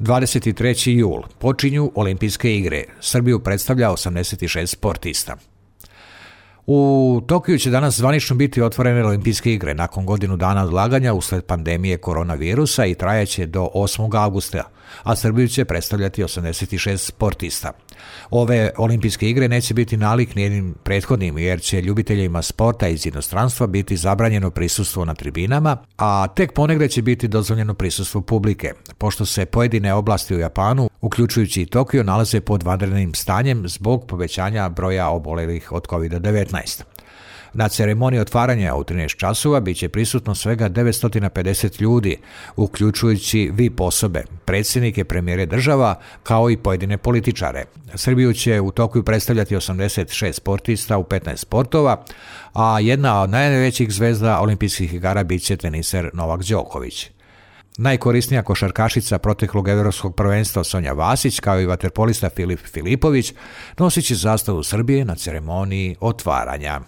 23. jul. Počinju Olimpijske igre. Srbiju predstavlja 86 sportista. U Tokiju će danas zvanično biti otvorene Olimpijske igre nakon godinu dana odlaganja usled pandemije koronavirusa i trajaće do 8. augusta, a Srbiju će predstavljati 86 sportista. Ove Olimpijske igre neće biti nalik nijednim prethodnim, jer će ljubiteljima sporta iz inostranstva biti zabranjeno prisustvo na tribinama, a tek ponegde će biti dozvoljeno prisustvo publike, pošto se pojedine oblasti u Japanu, uključujući i Tokio, nalaze pod vanrednim stanjem zbog povećanja broja obolelih od COVID-19. Na ceremoniji otvaranja u 13 časova bit će prisutno svega 950 ljudi, uključujući VIP osobe, predsjednike, premijere država, kao i pojedine političare. Srbiju će u Tokiju predstavljati 86 sportista u 15 sportova, a jedna od najvećih zvezda olimpijskih igara bit će teniser Novak Đoković. Najkorisnija košarkašica proteklog evropskog prvenstva Sonja Vasić, kao i vaterpolista Filip Filipović, nosit će zastavu Srbije na ceremoniji otvaranja.